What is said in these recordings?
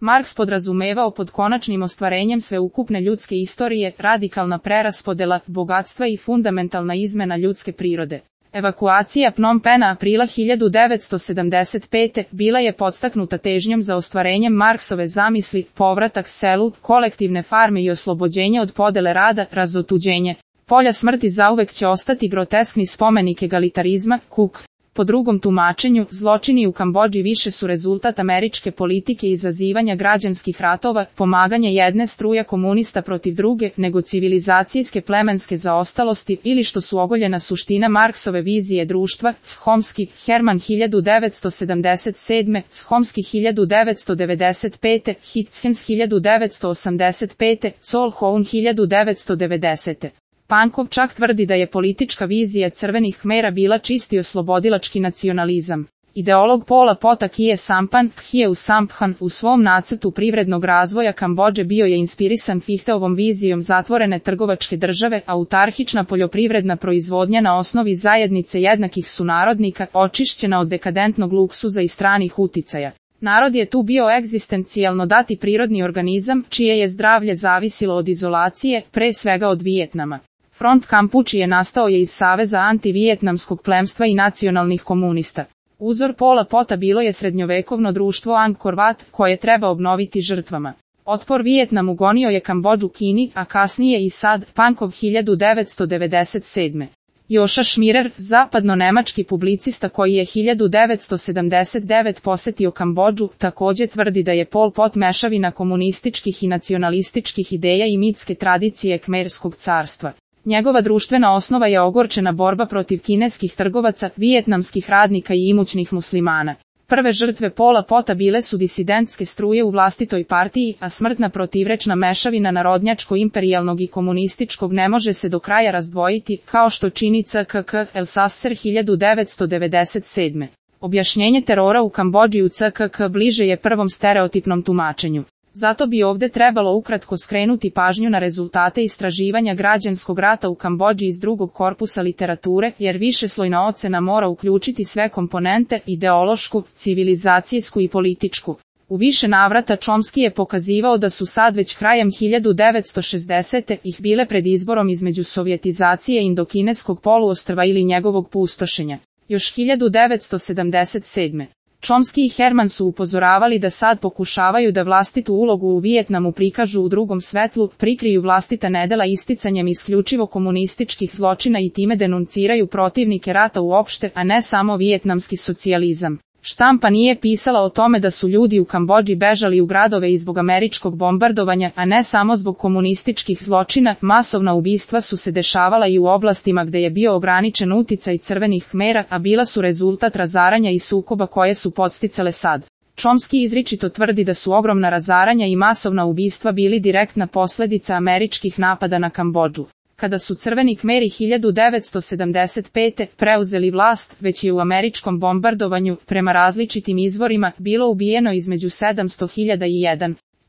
Marks podrazumevao pod konačnim ostvarenjem sveukupne ljudske istorije, radikalna preraspodela bogatstva i fundamentalna izmena ljudske prirode. Evakuacija Phnom Penha aprila 1975. bila je podstaknuta težnjom za ostvarenjem Marksove zamisli, povratak selu, kolektivne farme i oslobođenje od podele rada, razotuđenje. Polja smrti zauvek će ostati groteskni spomenik egalitarizma, Cook. Po drugom tumačenju, zločini u Kambodži više su rezultat američke politike i izazivanja građanskih ratova, pomaganje jedne struja komunista protiv druge, nego civilizacijske plemenske zaostalosti ili što su ogoljena suština Marksove vizije društva, Chomsky, Herman 1977, Chomsky 1995, Hitchens 1985, Colquhoun 1990. Pankov čak tvrdi da je politička vizija crvenih Khmera bila čisti oslobodilački nacionalizam. Ideolog Pola Pota Khie Sampan, Khieu Samphan, u svom nacrtu privrednog razvoja Kambodže bio je inspirisan Fichteovom vizijom zatvorene trgovačke države, autarhična poljoprivredna proizvodnja na osnovi zajednice jednakih sunarodnika, očišćena od dekadentnog luksuza i stranih uticaja. Narod je tu bio egzistencijalno dati prirodni organizam, čije je zdravlje zavisilo od izolacije, pre svega od Vijetnama. Front Kampučije nastao je iz saveza antivijetnamskog plemstva i nacionalnih komunista. Uzor Pola Pota bilo je srednjovekovno društvo Angkor Wat, koje treba obnoviti žrtvama. Otpor Vijetnamu gonio je Kambodžu Kini, a kasnije i Sad, Pankov 1997. Joša Šmirer, zapadno-nemački publicista koji je 1979 posetio Kambodžu, također tvrdi da je Pol Pot mešavina komunističkih i nacionalističkih ideja i mitske tradicije Khmerskog carstva. Njegova društvena osnova je ogorčena borba protiv kineskih trgovaca, vijetnamskih radnika i imućnih muslimana. Prve žrtve Pola Pota bile su disidentske struje u vlastitoj partiji, a smrtna protivrečna mešavina narodnjačko-imperijalnog i komunističkog ne može se do kraja razdvojiti, kao što čini CKK El Sasser 1997. Objašnjenje terora u Kambodži u CKK bliže je prvom stereotipnom tumačenju. Zato bi ovdje trebalo ukratko skrenuti pažnju na rezultate istraživanja građanskog rata u Kambodži iz drugog korpusa literature, jer višeslojna ocena mora uključiti sve komponente, ideološku, civilizacijsku i političku. U više navrata Chomsky je pokazivao da su sad već krajem 1960. ih bile pred izborom između sovjetizacije indokineskog poluostrva ili njegovog pustošenja. Još 1977. Chomsky i Herman su upozoravali da sad pokušavaju da vlastitu ulogu u Vijetnamu prikažu u drugom svetlu, prikriju vlastita nedela isticanjem isključivo komunističkih zločina i time denunciraju protivnike rata uopšte, a ne samo vijetnamski socijalizam. Štampa nije pisala o tome da su ljudi u Kambodži bežali u gradove i zbog američkog bombardovanja, a ne samo zbog komunističkih zločina. Masovna ubistva su se dešavala i u oblastima gde je bio ograničen uticaj crvenih Khmera, a bila su rezultat razaranja i sukoba koje su podsticale Sad. Chomsky izričito tvrdi da su ogromna razaranja i masovna ubistva bili direktna posljedica američkih napada na Kambodžu. Kada su crveni Khmeri 1975. preuzeli vlast, već je u američkom bombardovanju, prema različitim izvorima, bilo ubijeno između 700.000 i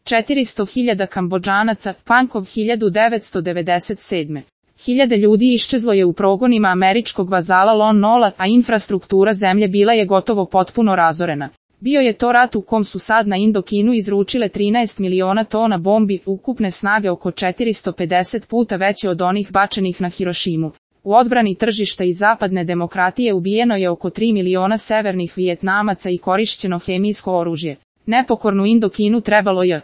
400.000 Kambodžanaca, Pankov 1997. Hiljade ljudi iščezlo je u progonima američkog vazala Lon Nola, a infrastruktura zemlje bila je gotovo potpuno razorena. Bio je to rat u kom su Sad na Indokinu izručile 13 miliona tona bombi, ukupne snage oko 450 puta veće od onih bačenih na Hirošimu. U odbrani tržišta i zapadne demokratije ubijeno je oko 3 miliona severnih Vijetnamaca i korišćeno hemijsko oružje. Nepokornu Indokinu trebalo je